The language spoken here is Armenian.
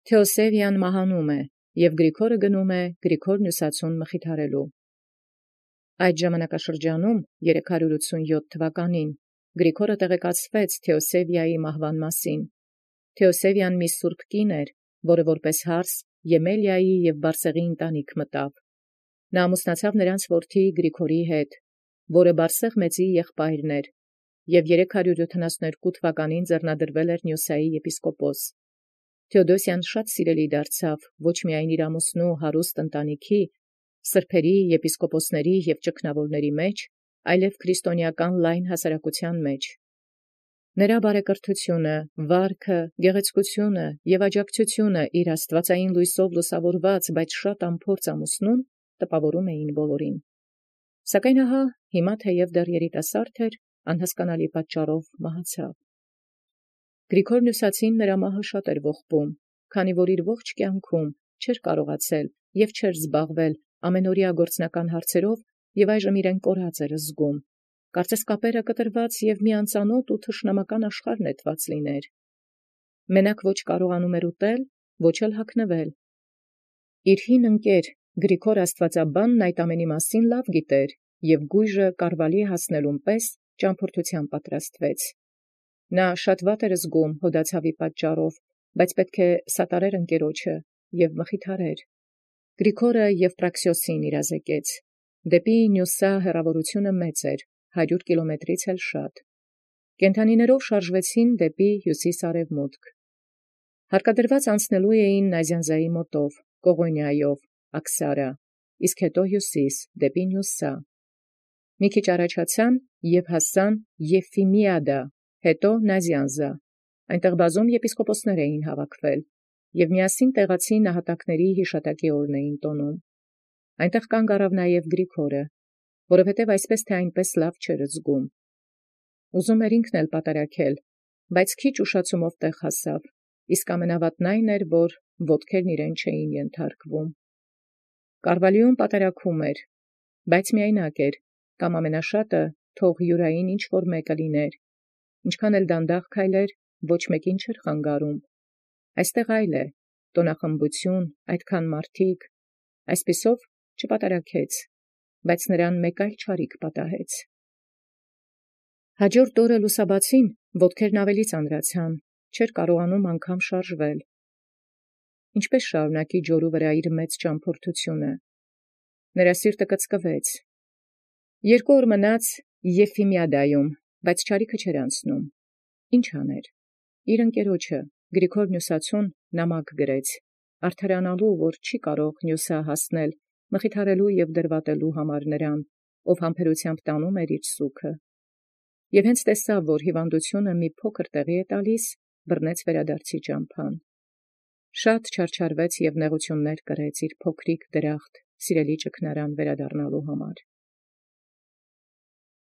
Թեոսեւիան մահանում է, և Գրիգորը գնում է Գրիգոր Նյուսացուն մխիթարելու։ Այդ ժամանակաշրջանում 387 թվականին Գրիգորը տեղեկացվեց Թեոսեւիայի մահվան մասին։ Թեոսեւիան մի սուրբ կին էր, որը որպես հարս Եմելիայի և Բարսեղի ընտանիք մտավ։ Նա ամուսնացավ նրանց որդի Գրիգորի հետ, որը Բարսեղ մեծի եղբայրն էր, և 372 թվականին ձեռնադրվել էր Նյոսայի եպիսկոպոս։ Թեոդոսիան շատ սիրելի դարձավ ոչ միայն իր ամուսնու հարուստ ընտանիքի, սրբերի, եպիսկոպոսների և ճգնավորների մեջ, այլև քրիստոնեական լայն հասարակության մեջ։ Նրա բարեկրթությունը, վարքը, գեղեցկությունը և աջակցությունը իր աստվածային լույսով լուսավորված, բայց շատ անփորձ ամուսնուն տպավորում էին բոլորին։ Սակայն ահա հիմա թեև դեռ երիտասարդ էր, անհասկանալի պատճառով մահացավ։ Գրիգոր Նյուսացին նրա մահը շատ էր ողբում, քանի որ իր ողջ կյանքում չէր կարողացել և չէր զբաղվել ամենօրյա գործնական հարցերով և այժմ իրեն կորած էր զգում։ Կարծես կապերը կտրված և մի անծանոթ ու թշնամական աշխարհ նետված լիներ։ Մենակ ոչ կարողանում էր ուտել, ոչ էլ հագնվել։ Իր հին ընկեր Գրիգոր Աստվածաբանն այդ ամենի մասին լավ գիտեր և գույժը կարվալի հասնելուն պես ճամփորդութեան պատրաստվեց։ Նա շատ վատ էր զգում հոդացավի պատճառով, բայց պետք է սատարեր ընկերոջը և մխիթարեր։ Գրիգորը Եվպրաքսիոսին իրազեկեց։ Դեպի Նյուսա հեռավորությունը մեծ էր, 100 կիլոմետրից էլ շատ։ Կենդանիներով շարժվեցին դեպի հյուսիս-արևմուտք։ Հարկադրված անցնելու էին Նազյանզայի մոտով, Կողոնիայով, Աքսարա, իսկ հետո հյուսիս, դեպի Նյուսա։ Մի քիչ առաջացան և հասան Եֆիմիադա, հետո Նազյանզա։ Այնտեղ բազում եպիսկոպոսներ էին հավաքվել, և միասին տեղացի նահատակների հիշատակի օրն էին տոնում։ Այնտեղ կանգ առավ նաև Գրիգորը, որովհետև այսպես թե այնպես լավ չէր զգում։ Ուզում էր ինքն էլ պատարակել, բայց քիչ ուշացումով տեղ հասավ, իսկ ամենավատն այն էր, որ ոտքերն իրեն չէին ենթարկվում։ Կարվալիում պատարակում էր, բայց միայնակ էր, կամ ամենաշատը թող յուրային ինչ-որ մեկը լիներ։ Ինչքան էլ դանդաղ քայլեր, ոչ մեկին չէր խանգարում։ Այստեղ այլ է, տոնախմբություն, այդքան մարդիկ, այսպիսով չպատարակեց, բայց նրան մեկ այլ չարիք պատահեց։ Հաջորդ օրը լուսաբացին ոտքերն ավելի ծանրացան, չէր կարողանում անգամ շարժվել։ Ինչպե՞ս շարունակի ջորու վրա իր մեծ ճամփորդությունը։ Նրա սիրտը կծկվեց։ 2 օր մնաց Եֆիմիադայում, բայց չարիքը չէր անցնում։ Ինչ աներ։ Իր ընկերոջը Գրիգոր Նյուսացուն նամակ գրեց, արդարանալու, որ չի կարող Նյուսա հասնել, մխիթարելու և դրվատելու համար նրան, ով համբերութեամբ տանում էր իր սուգը։ Եւ հենց տեսավ, որ հիվանդությունը մի փոքր տեղի է տալիս, բռնեց վերադարձի ճամփան։ Շատ չարչարվեց և նեղություններ կրեց իր փոքրիկ դրախտ, սիրելի ճգնարան վերադառնալու համար։